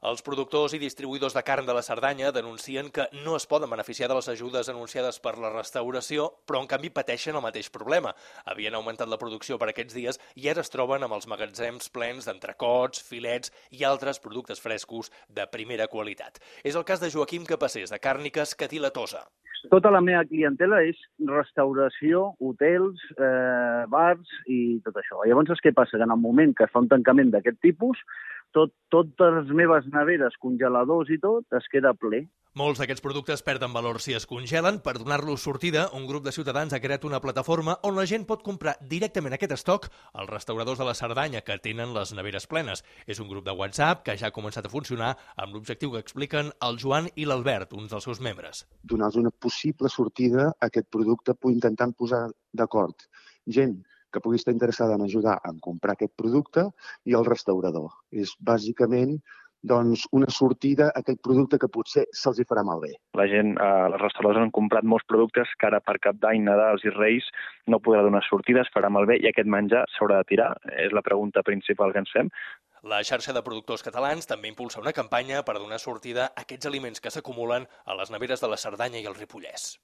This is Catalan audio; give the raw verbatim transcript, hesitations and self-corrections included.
Els productors i distribuïdors de carn de la Cerdanya denuncien que no es poden beneficiar de les ajudes anunciades per la restauració, però en canvi pateixen el mateix problema. Havien augmentat la producció per aquests dies i ara es troben amb els magatzems plens d'entrecots, filets i altres productes frescos de primera qualitat. És el cas de Joaquim Capassés, de Càrniques Cadí la Tosa. Tota la meva clientela és restauració, hotels, eh, bars i tot això. Llavors, què passa? Que en el moment que es fa un tancament d'aquest tipus, tot, totes les meves neveres, congeladors i tot, es queda ple. Molts d'aquests productes perden valor si es congelen. Per donar-los sortida, un grup de ciutadans ha creat una plataforma on la gent pot comprar directament aquest estoc als restauradors de la Cerdanya que tenen les neveres plenes. És un grup de WhatsApp que ja ha començat a funcionar amb l'objectiu que expliquen el Joan i l'Albert, uns dels seus membres. Donar-los una possible sortida a aquest producte, intentant posar d'acord gent que pugui estar interessada en ajudar a comprar aquest producte i el restaurador. És bàsicament doncs, una sortida a aquest producte que potser se'ls hi farà malbé. La gent, eh, els restauradors han comprat molts productes que ara per Cap d'Any, Nadals i Reis no podrà donar sortides, farà malbé i aquest menjar s'haurà de tirar. És la pregunta principal que ens fem. La xarxa de productors catalans també impulsa una campanya per donar sortida a aquests aliments que s'acumulen a les neveres de la Cerdanya i el Ripollès.